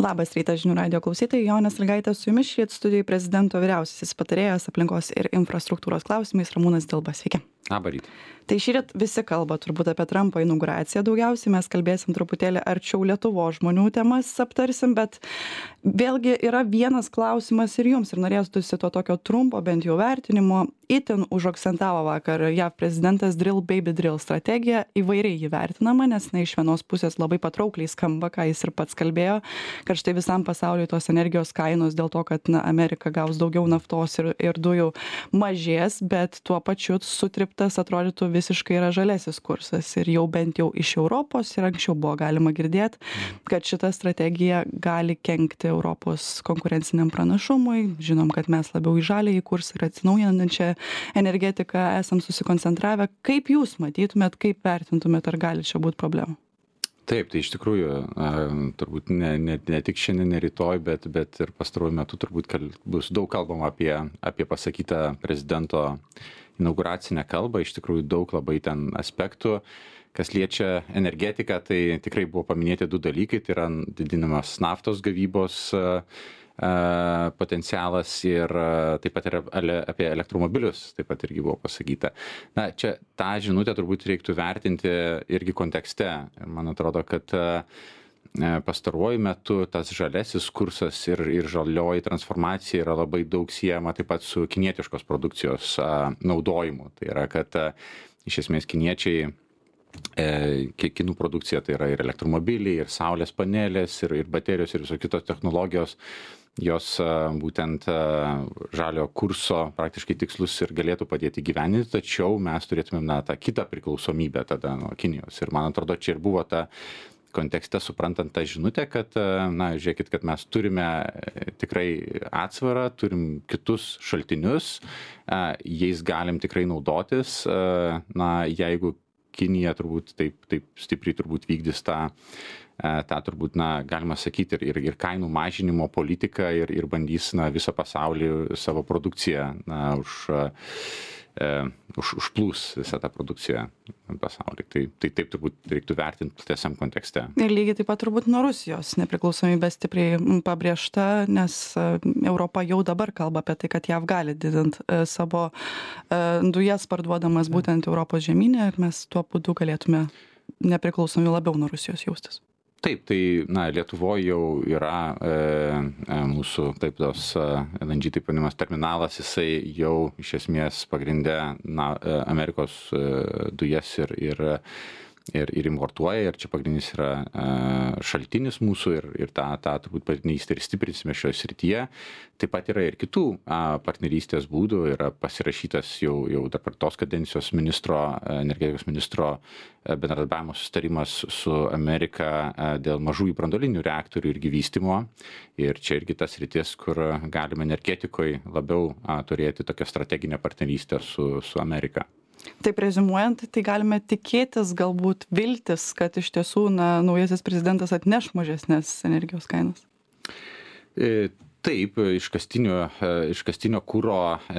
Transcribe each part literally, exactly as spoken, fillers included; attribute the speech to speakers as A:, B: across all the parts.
A: Labas rytas žinių radijo klausytojai, Jonė Sąlygaitė su jumis, šįryt studijoj prezidento vyriausiasis patarėjas aplinkos ir infrastruktūros klausimais Ramūnas Dilba. Sveiki.
B: Labą rytą.
A: Tai šįryt visi kalba turbūt apie Trumpo inauguraciją daugiausiai, mes kalbėsim truputėlį arčiau Lietuvos žmonių temas aptarsim, bet vėlgi yra vienas klausimas ir jums, ir norėtųsi to tokio trumpo bent jau vertinimo. Itin užakcentavo vakar J A V prezidentas drill baby drill strategiją, įvairiai jį vertinama, nes na, iš vienos pusės labai patraukliai skamba, ką jis ir pats kalbėjo, kad štai visam pasauliui tos energijos kainos dėl to, kad na, Amerika gaus daugiau naftos ir, ir dujų mažės, bet tuo pačiu sutriptas atrodytų visiškai yra žalesis kursas ir jau bent jau iš Europos ir anksčiau buvo galima girdėti, kad šita strategija gali kenkti Europos konkurenciniam pranašumui. Žinom, kad mes labiau į žaliąjį kursą ir atsinaujinančią energetiką esam susikoncentravę. Kaip jūs matytumėt, kaip vertintumėt, ar gali čia būti problemų?
B: Taip, tai iš tikrųjų, turbūt ne, ne, ne tik šiandien, ne rytoj, bet, bet ir pastaruoju metu turbūt kal, bus daug kalbama apie, apie pasakytą prezidento inauguracinę kalbą. Iš tikrųjų daug labai ten aspektų. Kas liečia energetiką, tai tikrai buvo paminėti du dalykai. Tai yra didinamas naftos gavybos potencialas ir taip pat ir apie elektromobilius taip pat irgi buvo pasakyta. Na, čia tą žinutę turbūt reiktų vertinti irgi kontekste. Ir man atrodo, kad pastaruoju metu tas žalesis kursas ir, ir žalioji transformacija yra labai daug siejama taip pat su kinietiškos produkcijos naudojimu. Tai yra, kad iš esmės kiniečiai kinų produkcija tai yra ir elektromobiliai, ir saulės panelės, ir, ir baterijos, ir visos kitos technologijos. Jos būtent žalio kurso praktiškai tikslus ir galėtų padėti gyveninti, tačiau mes turėtumėm na, tą kitą priklausomybę tada nuo Kinijos. Ir man atrodo, čia ir buvo ta kontekste suprantant tą žinutę, kad, na, žiūrėkit, kad mes turime tikrai atsvarą, turim kitus šaltinius, jais galim tikrai naudotis, na, jeigu Kinija turbūt taip, taip stipriai turbūt vykdys tą, tą turbūt, na, galima sakyti, ir, ir, ir kainų mažinimo politiką ir, ir bandys, na, visą pasaulį savo produkciją, na, už, e, už, užplūs visą tą produkciją pasaulį. Tai, tai taip turbūt reiktų vertinti platesniam kontekste.
A: Ir lygiai taip pat turbūt nuo Rusijos nepriklausomybė stipriai pabrėžta, nes Europa jau dabar kalba apie tai, kad J A V gali didinti savo dujas parduodamas būtent Europos žemynė ir mes tuo būdu galėtume nepriklausomi labiau nuo Rusijos jaustis.
B: Taip, tai na, Lietuvoje jau yra e, e, mūsų taip tos L N G taip vadinamas terminalas, jisai jau iš esmės pagrinde na, Amerikos e, dujas ir, ir, ir, ir importuoja, ir čia pagrindinis yra e, šaltinis mūsų ir, ir tą, tą turbūt partnerystę ir stiprinsime šioje srityje. Taip pat yra ir kitų a, partnerystės būdų, yra pasirašytas jau, jau dabar tos kadencijos ministro, energetikos ministro bendradarbiavimo sustarimas su Amerika dėl mažųjų branduolinių reaktorių irgi vystymo. Ir čia irgi tas rytis, kur galime energetikoje labiau a, turėti tokią strateginę partnerystę su, su Amerika.
A: Taip reziumuojant, tai galime tikėtis galbūt viltis, kad iš tiesų na, naujasis prezidentas atneš mažesnės energijos kainas?
B: E, Taip, iškastinio, iškastinio kuro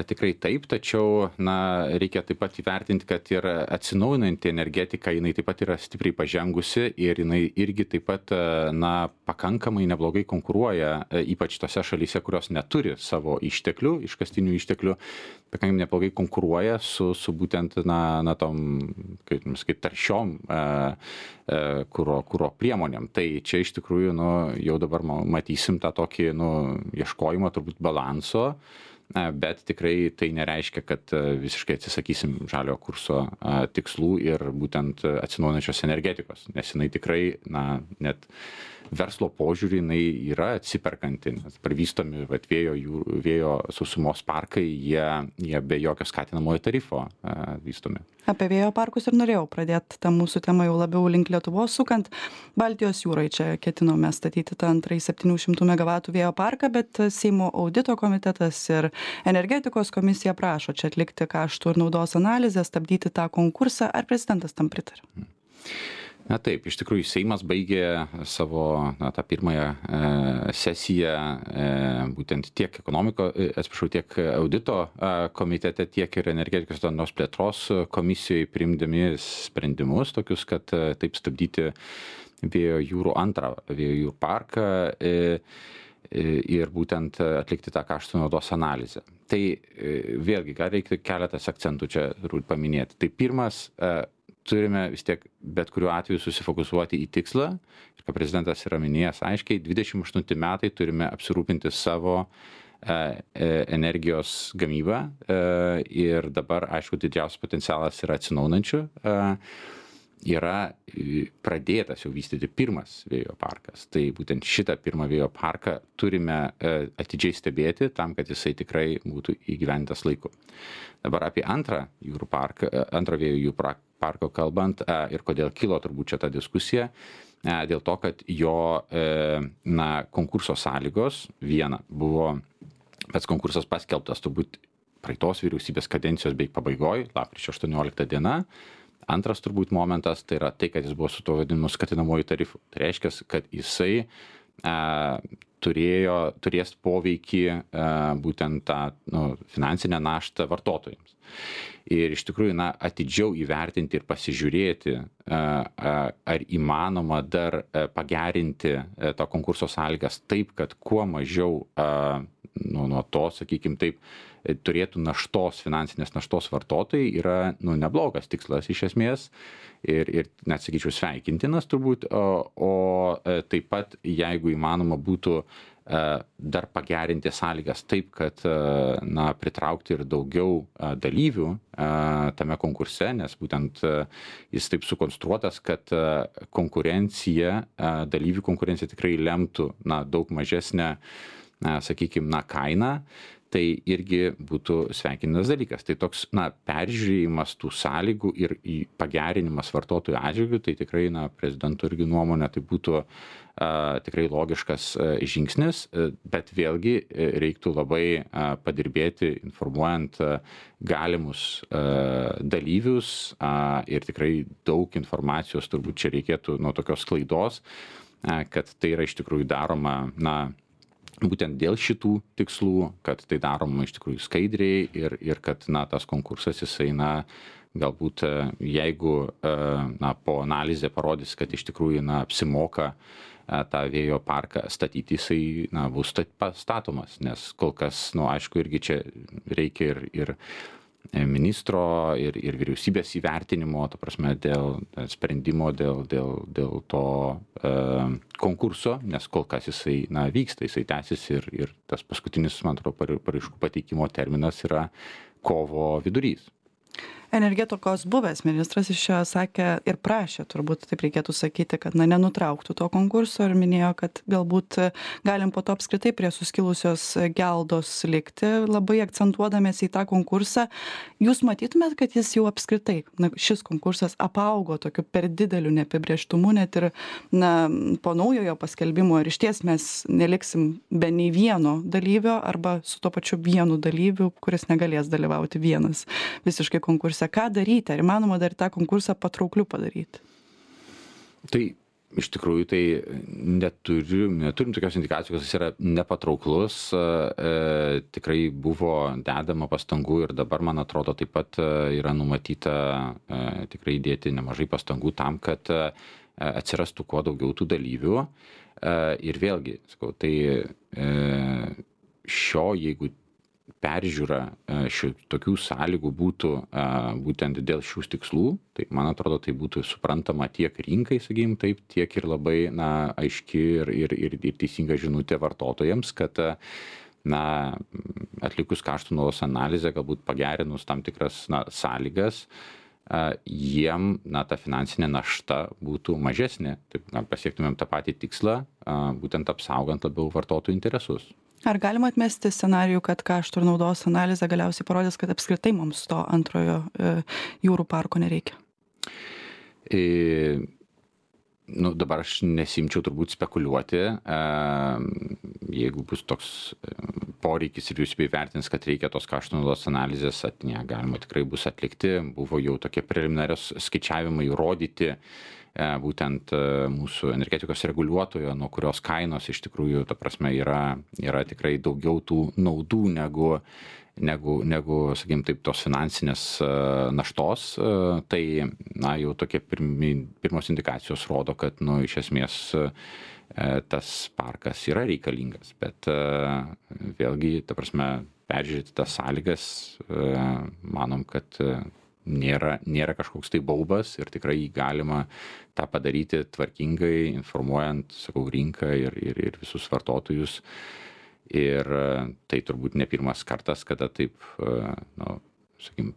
B: tikrai taip, tačiau na, reikia taip pat įvertinti, kad ir atsinaujinanti energetika, jinai taip pat yra stipriai pažengusi ir jinai irgi taip pat na, pakankamai neblogai konkuruoja, ypač tose šalyse, kurios neturi savo išteklių, iškastinių išteklių, pakankamai neblogai konkuruoja su, su būtent na, na tom, kaip, kaip taršiom e, e, kuro, kuro priemonėm. Tai čia iš tikrųjų nu, jau dabar matysim tą tokį nu, ieškojimo turbūt balanso, bet tikrai tai nereiškia, kad visiškai atsisakysim žalio kurso tikslų ir būtent atsinaujinančios energetikos, nes jinai tikrai, na, net verslo požiūrį jinai yra atsiperkanti, nes pravystomi vat, vėjo, jų, vėjo sausumos parkai, jie, jie be jokio skatinamojo tarifo a, vystomi.
A: Apie vėjo parkus ir norėjau pradėti tą mūsų temą jau labiau link Lietuvos sukant. Baltijos jūrai čia ketinome statyti tą antrąjį septynių šimtų megavatų vėjo parką, bet Seimo audito komitetas ir energetikos komisija prašo čia atlikti kaštų ir naudos analizę, stabdyti tą konkursą. Ar prezidentas tam pritarė?
B: Na taip, iš tikrųjų Seimas baigė savo na, tą pirmąją e, sesiją e, būtent tiek ekonomiko, e, atsiprašau, tiek audito e, komitete, tiek ir energetikos darnos plėtros komisijoje priimdami sprendimus tokius, kad e, taip stabdyti vėjo jūrų antrą vėjo jūrų parką e, e, ir būtent atlikti tą kaštų naudos analizę. Tai e, vėlgi, gal reikia keletas akcentų čia turbūt paminėti. Tai pirmas, e, turime vis tiek bet kuriuo atveju susifokusuoti į tikslą. Ir kaip prezidentas yra minėjęs aiškiai, dvidešimt aštunti metai turime apsirūpinti savo e, energijos gamybą. E, ir dabar, aišku, didžiausias potencialas yra atsinaujinančių. E, yra pradėtas jau vystyti pirmas vėjo parkas. Tai būtent šitą pirmą vėjo parką turime e, atidžiai stebėti tam, kad jisai tikrai būtų įgyvendintas laiku. Dabar apie antrą jūrų parką, antrą vėjo jūrų parką parko kalbant ir kodėl kilo turbūt čia ta diskusija, dėl to, kad jo na, konkurso sąlygos, viena, buvo pats konkursas paskelbtas turbūt praeitos vyriausybės kadencijos beveik pabaigoj, lapkričio aštuoniolikta diena. Antras turbūt momentas, tai yra tai, kad jis buvo su to vadinamu skatinamuoju tarifu. Tai reiškia, kad jisai a, turėjo, turės poveikį a, būtent tą nu, finansinę naštą vartotojams. Ir iš tikrųjų, na, atidžiau įvertinti ir pasižiūrėti, ar įmanoma dar pagerinti to konkurso sąlygas taip, kad kuo mažiau nu, nuo to, sakykime taip, turėtų naštos, finansinės naštos vartotojai, yra nu, neblogas tikslas iš esmės ir, ir net sakyčiau sveikintinas turbūt, o, o taip pat, jeigu įmanoma būtų dar pagerinti sąlygas taip, kad na, pritraukti ir daugiau dalyvių tame konkurse, nes būtent jis taip sukonstruotas, kad konkurencija, dalyvių konkurencija tikrai lemtų na, daug mažesnę, sakykime, na, kainą. Tai irgi būtų sveikintinas dalykas. Tai toks na, peržiūrėjimas tų sąlygų ir pagerinimas vartotojų atžvilgių, tai tikrai na, prezidento irgi nuomonė, tai būtų a, tikrai logiškas a, žingsnis, a, bet vėlgi a, reiktų labai a, padirbėti, informuojant a, galimus a, dalyvius a, ir tikrai daug informacijos turbūt čia reikėtų nuo tokios klaidos, a, kad tai yra iš tikrųjų daroma na, būtent dėl šitų tikslų, kad tai daroma iš tikrųjų skaidriai ir, ir kad na, tas konkursas jisai na, galbūt jeigu na, po analizė parodys, kad iš tikrųjų na, apsimoka tą vėjo parką statyti, jisai na, bus statomas, nes kol kas, nu, aišku, irgi čia reikia ir, ir ministro ir, ir vyriausybės įvertinimo, ta prasme, dėl sprendimo, dėl, dėl, dėl to e, konkurso, nes kol kas jisai na, vyksta, jisai tęsis ir, ir tas paskutinis, man atrodo, paraiškų pateikimo terminas yra kovo vidurys.
A: Energetikos buvęs ministras iš čia sakė ir prašė, turbūt taip reikėtų sakyti, kad na, nenutrauktų to konkurso ir minėjo, kad galbūt galim po to apskritai prie suskilusios geldos likti, labai akcentuodamėsi į tą konkursą. Jūs matytumėt, kad jis jau apskritai, na, šis konkursas apaugo tokiu per dideliu neapibrėžtumu, net ir na, po naujojo paskelbimo ir išties mes neliksim be nei vieno dalyvio arba su to pačiu vienu dalyviu, kuris negalės dalyvauti vienas visiškai konkurse. Ką daryti? Ar įmanoma dar tą konkursą patraukliu padaryti?
B: Tai iš tikrųjų tai neturim, neturim tokios indikacijos, kad jis yra nepatrauklus. E, tikrai buvo dedama pastangų ir dabar, man atrodo, taip pat yra numatyta e, tikrai dėti nemažai pastangų tam, kad e, atsirastų kuo daugiau tų dalyvių. E, ir vėlgi, sakau, tai e, šio, jeigu peržiūra šių tokių sąlygų būtų būtent dėl šių tikslų, tai man atrodo, tai būtų suprantama tiek rinkai, sakykim, taip, tiek ir labai na, aiški ir, ir, ir, ir teisinga žinutė vartotojams, kad na, atlikus kaštų naudos analizę, galbūt pagerinus tam tikras na, sąlygas, jiem na, ta finansinė našta būtų mažesnė, taip na, pasiektumėm tą patį tikslą, būtent apsaugant labiau vartotojų interesus.
A: Ar galima atmesti scenarijų, kad kaštų ir naudos analizė galiausiai parodys, kad apskritai mums to antrojo e, jūrų parko nereikia?
B: E, nu, dabar aš nesimčiau turbūt spekuliuoti. E, jeigu bus toks poreikis ir vyriausybė įvertins, kad reikia tos kaštų naudos analizės, at, ne, galima tikrai bus atlikti. Buvo jau tokie preliminarios skaičiavimai rodyti, būtent mūsų energetikos reguliuotojo, nuo kurios kainos iš tikrųjų, ta prasme, yra, yra tikrai daugiau tų naudų negu, negu, negu sakykim, taip, tos finansinės naštos, tai, na, jau tokie pirmi, pirmos indikacijos rodo, kad, nu, iš esmės tas parkas yra reikalingas, bet vėlgi, ta prasme, peržiūrėti tas sąlygas, manom, kad nėra, nėra kažkoks tai baubas ir tikrai galima tą padaryti tvarkingai, informuojant, sakau, rinką ir, ir, ir visus vartotojus. Ir tai turbūt ne pirmas kartas, kada taip, nu, sakykim,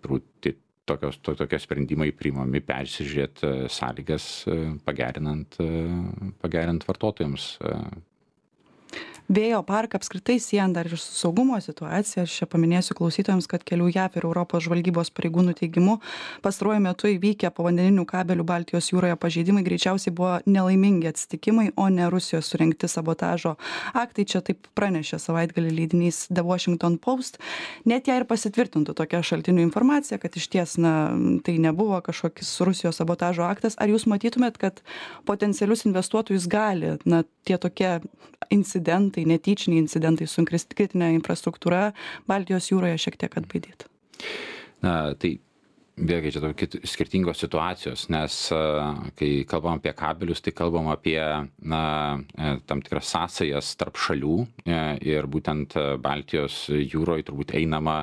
B: tokios, to, tokie sprendimai priimami persižiūrėti sąlygas, pagerinant, pagerinant vartotojams.
A: Vėjo parką apskritai siejant dar ir su saugumo situacija, aš čia paminėsiu klausytojams, kad kelių J A V ir Europos žvalgybos pareigūnų teigimu pastaruoju metu įvykę povandeninių kabelių Baltijos jūroje pažeidimai greičiausiai buvo nelaimingi atsitikimai, o ne Rusijos surengti sabotažo aktai. Čia taip pranešė savaitgalį leidinys The Washington Post. Net jei ir pasitvirtintų tokia šaltinių informacija, kad iš ties, na, tai nebuvo kažkokis Rusijos sabotažo aktas, ar jūs matytumėt, kad potencialius investuotojus gali, na, tie tokie incidentai, netyčiniai incidentai su kritinė infrastruktūra Baltijos jūroje šiek tiek atbaidyti?
B: Na, tai vėlgi čia tokios skirtingos situacijos, nes kai kalbam apie kabelius, tai kalbam apie, na, tam tikras sąsajas tarp šalių ir būtent Baltijos jūroje turbūt einama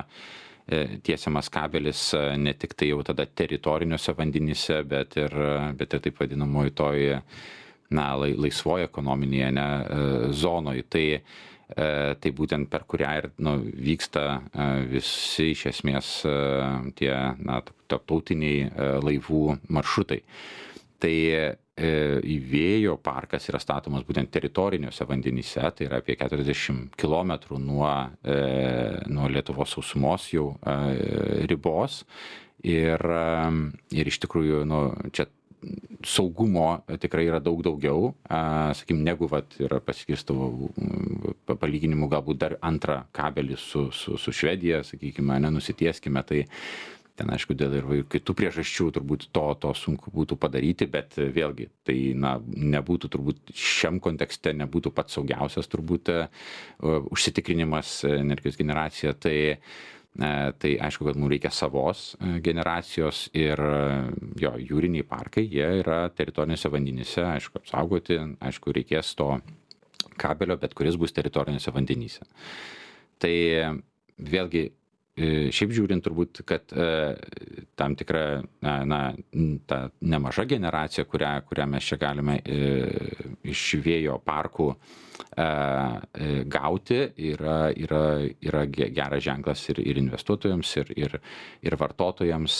B: tiesiamas kabelis ne tik tai jau tada teritoriniuose vandenyse, bet ir, bet ir taip vadinamoji toj, na, laisvoje ekonominėje, ne, zonoje. Tai, tai būtent per kurią ir, nu, vyksta visi iš esmės tie, na, tarptautiniai laivų maršrutai. Tai vėjo parkas yra statomas būtent teritoriniuose vandenyse, tai yra apie keturiasdešimt kilometrų nuo, nuo Lietuvos sausumos jau ribos. Ir, ir iš tikrųjų, nu, čia saugumo tikrai yra daug daugiau, sakykim, negu vat yra paskirstavo palyginimu galbūt dar antrą kabelį su, su, su Švedija, sakykime, nenusitieskime, tai ten, aišku, dėl ir kitų priežasčių turbūt to, to sunku būtų padaryti, bet vėlgi, tai, na, nebūtų turbūt šiam kontekste, nebūtų pats saugiausias turbūt uh, užsitikrinimas energijos generacija, tai Tai aišku, kad mums reikia savos generacijos ir jo jūriniai parkai, jie yra teritorinėse vandenyse, aišku, apsaugoti, aišku, reikės to kabelio, bet kuris bus teritorinėse vandenyse. Tai vėlgi, šiaip žiūrint turbūt, kad tam tikra, na, ta nemaža generacija, kurią, kurią mes čia galime iš vėjo parkų gauti, yra, yra, yra geras ženklas ir, ir investuotojams, ir, ir, ir vartotojams,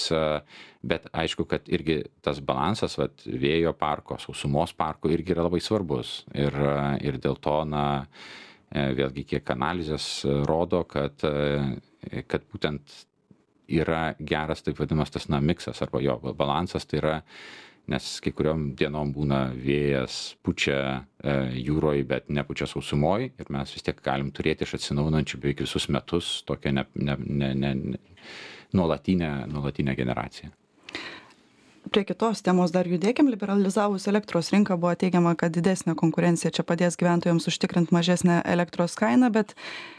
B: bet aišku, kad irgi tas balansas, vat, vėjo parko, sausumos parko irgi yra labai svarbus. Ir, ir dėl to, na, vėlgi, kiek analizės rodo, kad kad būtent yra geras, taip vadinamas, tas, na, miksas arba jo balansas, tai yra, nes kai kuriom dienom būna vėjas pučia e, jūroje, bet nepučia sausumoj ir mes vis tiek galim turėti iš atsinaujinančių beveik visus metus tokią ne, ne, ne, ne, nuolatinę, nuolatinę generaciją.
A: Prie kitos temos dar judėkim. Liberalizavus elektros rinką buvo teigiama, kad didesnė konkurencija čia padės gyventojams užtikrinti mažesnę elektros kainą, bet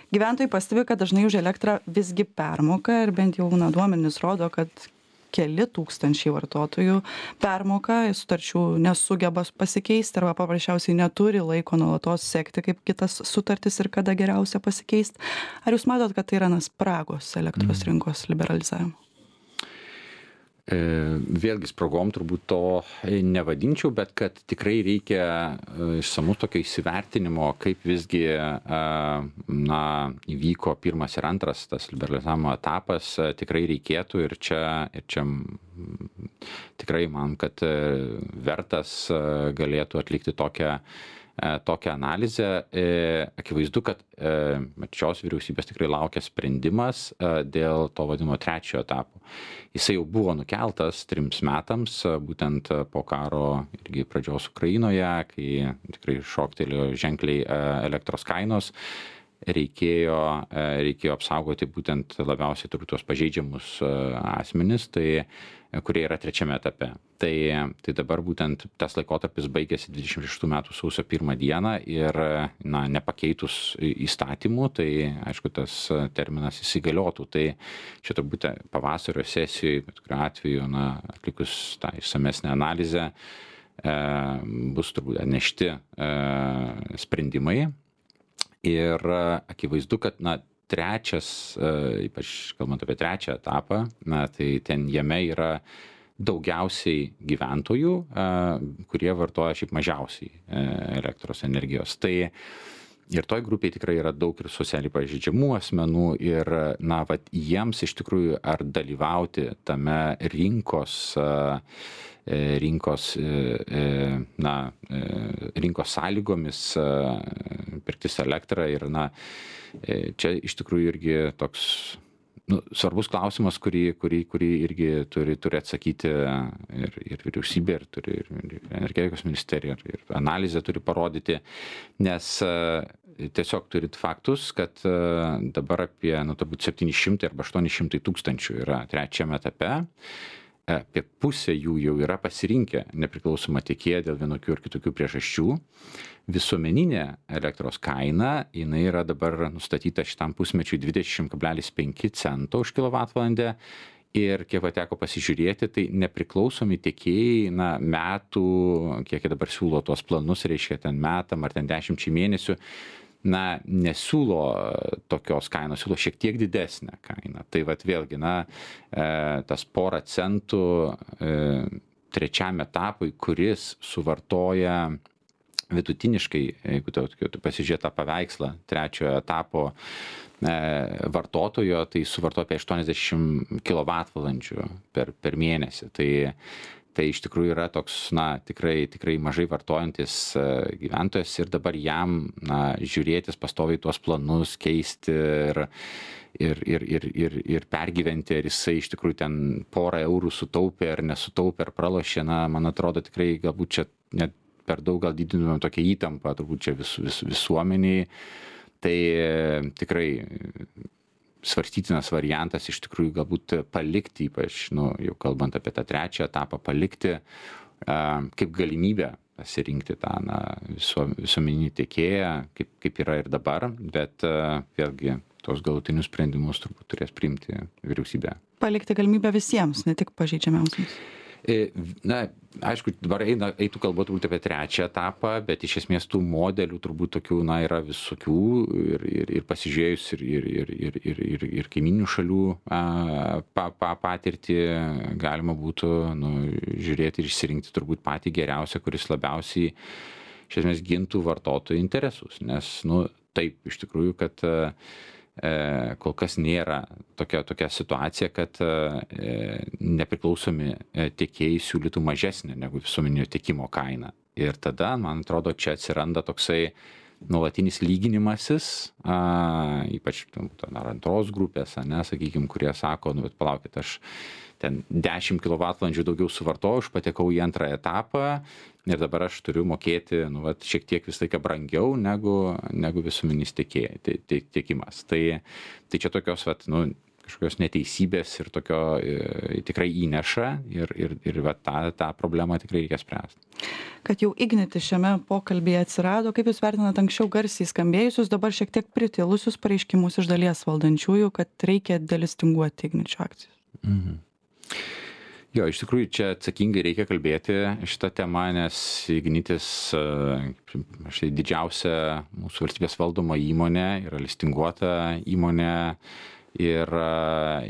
A: gyventojai pastebi, kad dažnai už elektrą visgi permoka ir bent jau, na, duomenys rodo, kad keli tūkstančiai vartotojų permoka, sutarčių nesugeba pasikeisti arba paprasčiausiai neturi laiko nuolatos sekti, kaip kitas sutartis ir kada geriausia pasikeisti. Ar jūs matot, kad tai yra, na, spragos elektros rinkos liberalizavimo?
B: Vėlgi spragom turbūt to nevadinčiau, bet kad tikrai reikia išsamus tokio įsivertinimo, kaip visgi, na, įvyko pirmas ir antras tas liberalizavimo etapas, tikrai reikėtų ir čia, ir čia tikrai man, kad vertas galėtų atlikti tokią tokią analizę. Akivaizdu, kad šios vyriausybės tikrai laukia sprendimas dėl to vadinamo trečiojo etapo. Jisai jau buvo nukeltas trims metams, būtent po karo irgi pradžios Ukrainoje, kai tikrai šoktelėjo ženkliai elektros kainos. reikėjo, reikėjo apsaugoti būtent labiausiai turbūt tuos pažeidžiamus asmenis, tai, kurie yra trečiame etape. Tai, tai dabar būtent tas laikotarpis baigėsi dvidešimt šeštų metų sausio pirmą dieną ir na, nepakeitus įstatymų, tai aišku, tas terminas įsigaliotų. Tai čia turbūt pavasario sesijoje, bet kuriuo atveju, na, atlikus tą išsamesnę analizę, e, bus turbūt atnešti e, sprendimai. Ir akivaizdu, kad na, trečias, ypač kalbant apie trečią etapą, na, tai ten jame yra daugiausiai gyventojų, kurie vartoja šiaip mažiausiai elektros energijos. Tai ir toj grupiai tikrai yra daug ir socialiai pažeidžiamų asmenų ir na, vat, jiems iš tikrųjų ar dalyvauti tame rinkos rinkos, na, rinkos sąlygomis pirktis elektrą ir na, čia iš tikrųjų irgi toks nu, svarbus klausimas, kurį, kurį, kurį irgi turi, turi atsakyti ir, ir vyriausybė, ir turi ir energetikos ministerija, ir, ir analizė turi parodyti, nes tiesiog turit faktus, kad dabar apie nu, turbūt septyni šimtai arba aštuoni šimtai tūkstančių yra trečiame etape. Apie pusę jų jau yra pasirinkę nepriklausomą tiekėją dėl vienokių ir kitokių priežasčių. Visuomeninė elektros kaina, jinai yra dabar nustatyta šitam pusmečiui dvidešimt kablelis penki cento už kilovatvalandę. Ir kiek teko pasižiūrėti, tai nepriklausomi tiekėjai, na, metų, kiek jie dabar siūlo tuos planus, reiškia ten metam ar ten dešimčiai mėnesių, na, nesiūlo tokios kainos, siūlo šiek tiek didesnę kainą. Tai vat vėlgi, na, tas porą centų trečiam etapui, kuris suvartoja vidutiniškai, jeigu tu pasižiūrėt tą paveikslą trečiojo etapo vartotojo, tai suvartoja apie aštuoniasdešimt kilovatvalandžių per, per mėnesį. Tai Tai iš tikrųjų yra toks, na, tikrai, tikrai mažai vartojantis gyventojas ir dabar jam, na, žiūrėtis pastoviai tuos planus, keisti ir, ir, ir, ir, ir, ir pergyventi, ar jisai iš tikrųjų ten porą eurų sutaupė ar nesutaupė ar pralošė, na, man atrodo tikrai galbūt čia net per daug gal didinumėm tokią įtampą, turbūt čia vis, vis, visuomeniai. Tai tikrai svarstytinas variantas iš tikrųjų galbūt palikti, ypač, nu, jau kalbant apie tą trečią etapą, palikti uh, kaip galimybę pasirinkti tą na, viso, visuomeninį tiekėją, kaip, kaip yra ir dabar, bet uh, vėlgi tos galutinius sprendimus turbūt turės priimti vyriausybė.
A: Palikti galimybę visiems, ne tik pažeidžiamiausiams.
B: Na, aišku, dabar eina, eitų kalba turbūt apie trečią etapą, bet iš esmės tų modelių turbūt tokių, na, yra visokių ir, ir, ir pasižiūrėjus ir, ir, ir, ir, ir, ir, ir kaiminių šalių a, pa, pa, patirtį galima būtų, nu, žiūrėti ir išsirinkti turbūt patį geriausią, kuris labiausiai iš esmės gintų vartotojų interesus, nes, nu, taip, iš tikrųjų, kad kol kas nėra tokia, tokia situacija, kad nepriklausomi tiekėjai siūlytų mažesnę negu visuomeninio tiekimo kainą. Ir tada, man atrodo, čia atsiranda toksai nuolatinis lyginimasis, a, ypač ar antros grupės, ne, sakykime, kurie sako, nu, bet palaukit, aš ten dešimt kilovatvalandžių daugiau suvartoju, aš patekau į antrą etapą ir dabar aš turiu mokėti, nu, vat, šiek tiek vis laiką brangiau negu, negu visuominis tiekėjas, tie, tie, tiekimas. Tai, tai čia tokios, vat, nu, kažkokios neteisybės ir tokio e, tikrai įneša ir, ir, ir vat, tą, tą problemą tikrai reikia spręsti.
A: Kad jau Ignitis šiame pokalbėje atsirado, kaip jūs vertinat anksčiau garsiai skambėjusius, dabar šiek tiek pritilusius pareiškimus iš dalies valdančiųjų, kad reikia delistinguoti Igničio akcijas?
B: Mhm. Jo, iš tikrųjų, čia atsakingai reikia kalbėti šitą temą, nes Ignitis, štai didžiausia mūsų valstybės valdoma įmonė, yra listinguota įmonė ir,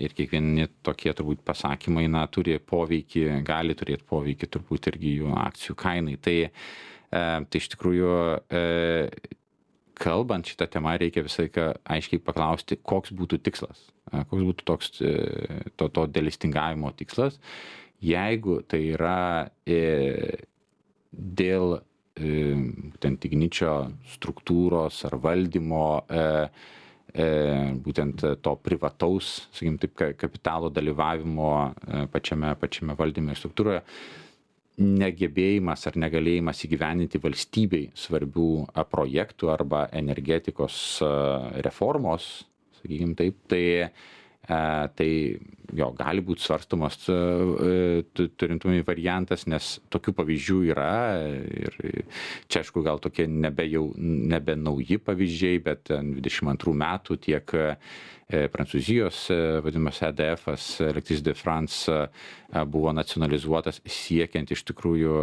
B: ir kiekvieni tokie turbūt pasakymai, na, turi poveikį, gali turėti poveikį turbūt irgi jų akcijų kainai. Tai, tai iš tikrųjų, kalbant šitą temą, reikia visą laiką aiškiai paklausti, koks būtų tikslas, koks būtų toks to, to delistingavimo tikslas. Jeigu tai yra e, dėl e, būtent Igničio struktūros ar valdymo, e, e, būtent to privataus, sakykim, taip, kapitalo dalyvavimo e, pačiame, pačiame valdyme ir struktūroje, negebėjimas ar negalėjimas įgyvendinti valstybei svarbių projektų arba energetikos reformos, sakykim taip, tai tai jo gali būt svarstomas turint omeny variantas, nes tokių pavyzdžių yra ir čia aišku gal tokie nebe jau nebe nauji pavyzdžiai, bet dvidešim antrų metų tiek Prancūzijos vadinamas E D F-as, Electricité de France, buvo nacionalizuotas siekiant iš tikrųjų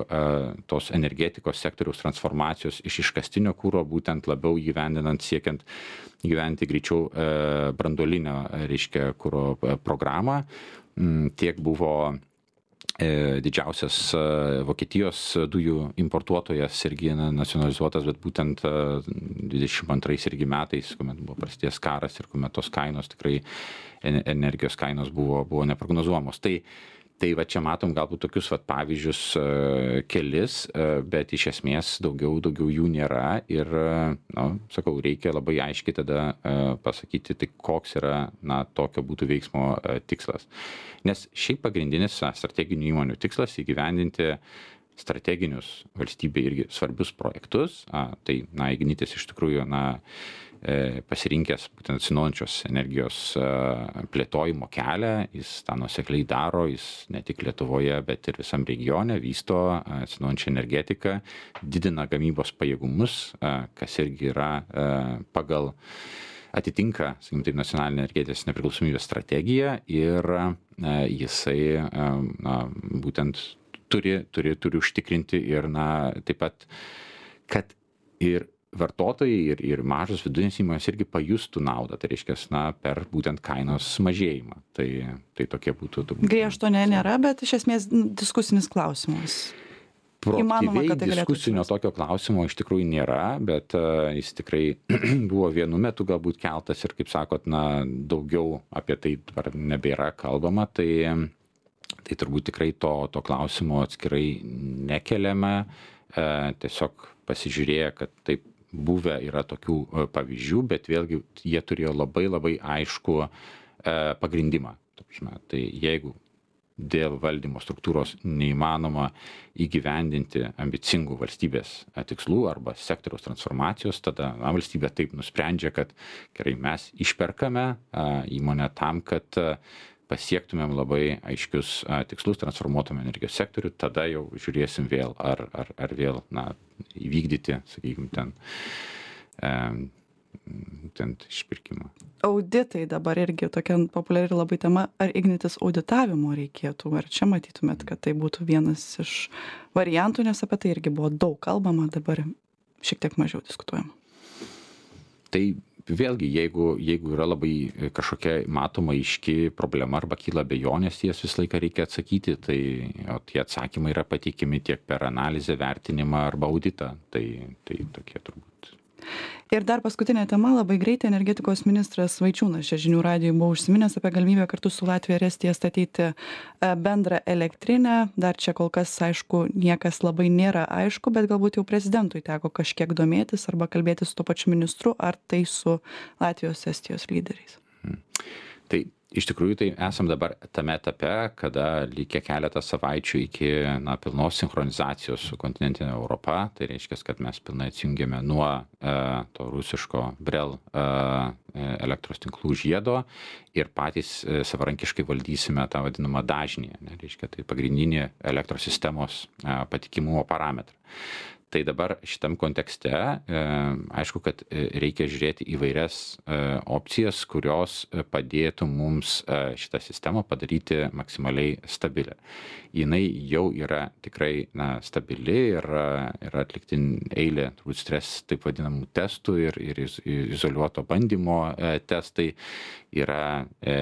B: tos energetikos sektoriaus transformacijos iš iškastinio kuro, būtent labiau įgyvendinant siekiant gyventi greičiau branduolinio, reiškia, kuro programą. Tiek buvo didžiausias Vokietijos dujų importuotojas irgi nacionalizuotas, bet būtent dvidešim antrais irgi metais, kuomet buvo prasidėjęs karas ir kuomet tos kainos tikrai, energijos kainos buvo, buvo neprognozuojamos. Tai Tai va čia matom galbūt tokius vat pavyzdžius kelis, bet iš esmės daugiau, daugiau jų nėra ir, na, sakau, reikia labai aiškiai tada pasakyti, tai koks yra, na, tokio būtų veiksmo tikslas. Nes šiaip pagrindinis strateginių įmonių tikslas įgyvendinti strateginius valstybei irgi svarbius projektus, tai, na, Ignitis iš tikrųjų, na, pasirinkęs būtent atsinaujinančios energijos plėtojimo kelią, jis tą nuosekliai daro, jis ne tik Lietuvoje, bet ir visam regione vysto atsinaujinančią energetiką, didina gamybos pajėgumus, kas irgi yra pagal atitinka, sakykim taip, nacionalinė energetikos nepriklausomybės strategija ir jisai, na, būtent turi, turi, turi užtikrinti ir, na, taip pat, kad ir vartotojai ir, ir mažos vidutinės įmonės irgi pajustų naudą, tai reiškia, na, per būtent kainos mažėjimą. Tai, tai tokie būtų...
A: Griežto ne, nėra, bet iš esmės diskusinis klausimas.
B: Proaktyviai tai diskusinio tokio klausimo iš tikrųjų nėra, bet uh, jis tikrai buvo vienu metu galbūt keltas ir, kaip sakot, na, daugiau apie tai dabar nebėra kalbama, tai, tai turbūt tikrai to, to klausimo atskirai nekeliame, uh, tiesiog pasižiūrėję, kad taip buvę yra tokių pavyzdžių, bet vėlgi jie turėjo labai labai aišku e, pagrindimą. Tai jeigu dėl valdymo struktūros neįmanoma įgyvendinti ambicingų valstybės tikslų arba sektoriaus transformacijos, tada na, valstybė taip nusprendžia, kad gerai, mes išperkame a, įmonę tam, kad a, pasiektumėm labai aiškius a, tikslus, transformuotumėm energijos sektorių, tada jau žiūrėsim vėl, ar, ar, ar vėl na, įvykdyti, sakykime, ten, e, ten išpirkimą.
A: Auditai dabar irgi tokia populiari labai tema. Ar Ignitis auditavimo reikėtų? Ar čia matytumėt, kad tai būtų vienas iš variantų, nes apie tai irgi buvo daug kalbama, dabar šiek tiek mažiau diskutuojama?
B: Tai vėlgi, jeigu, jeigu yra labai kažkokia matoma aiški problema arba kyla abejonės, jas visą laiką reikia atsakyti, tai o tie atsakymai yra pateikiami tiek per analizę, vertinimą arba auditą, tai, tai tokie turbūt.
A: Ir dar paskutinė tema, labai greitai energetikos ministras Vaičiūnas čia žinių radijui buvo užsiminęs apie galimybę kartu su Latvija ir Estija statyti bendrą elektrinę. Dar čia kol kas, aišku, niekas labai nėra aišku, bet galbūt jau prezidentui teko kažkiek domėtis arba kalbėti su to pačiu ministru, ar tai su Latvijos, Estijos lyderiais.
B: Hmm. Tai iš tikrųjų tai esam dabar tame etape, kada likę keletą savaičių iki na, pilnos sinchronizacijos su kontinentinė Europa. Tai reiškia, kad mes pilnai atsijungėme nuo e, to rusiško Brel e, elektros tinklų žiedo ir patys e, savarankiškai valdysime tą vadinamą dažnį. Ne, reiškia, tai pagrindinį elektros sistemos e, patikimumo parametrą. Tai dabar šitam kontekste, e, aišku, kad reikia žiūrėti įvairias e, opcijas, kurios padėtų mums e, šitą sistemą padaryti maksimaliai stabilę. Jinai jau yra tikrai na, stabili ir yra atlikti eilė, turbūt stres, taip vadinamų testų ir, ir izoliuoto bandymo e, testai. Yra e,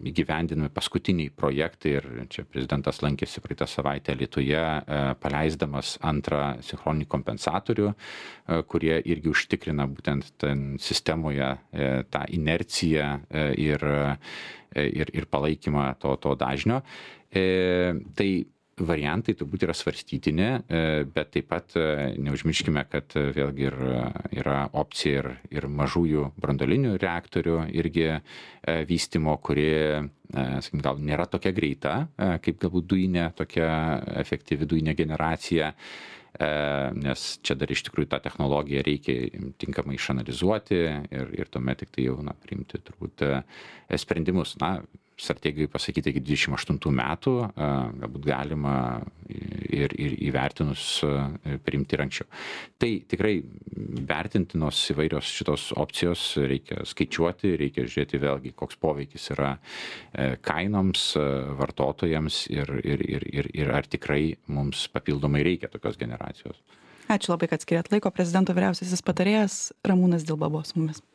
B: įgyvendinami paskutiniai projektai ir čia prezidentas lankėsi praeitą savaitę Lietuvoje, e, paleisdamas antrą sinchroninį kompensatorių, e, kurie irgi užtikrina būtent ten sistemoje e, tą inerciją e, ir, e, ir, ir palaikymą to, to dažnio. E, tai variantai turbūt yra svarstytini, bet taip pat neužmirškime, kad vėlgi ir yra opcija ir, ir mažųjų branduolinių reaktorių irgi vystymo, kuri, sakykim, gal nėra tokia greita, kaip galbūt dujinė, tokia efektyvi dujinė generacija, nes čia dar iš tikrųjų tą technologiją reikia tinkamai išanalizuoti ir, ir tuomet tik tai jau, na, priimti turbūt sprendimus. Na, strategijai pasakyti iki dvidešimt aštuntų metų, galbūt galima ir, ir įvertinus priimti ir anksčiau. Tai tikrai vertintinos įvairios šitos opcijos, reikia skaičiuoti, reikia žiūrėti vėlgi, koks poveikis yra kainoms, vartotojams ir, ir, ir, ir, ir ar tikrai mums papildomai reikia tokios generacijos.
A: Ačiū labai, kad skiriat laiko. Prezidento vyriausiasis patarėjas Ramūnas Dilba buvo su mumis.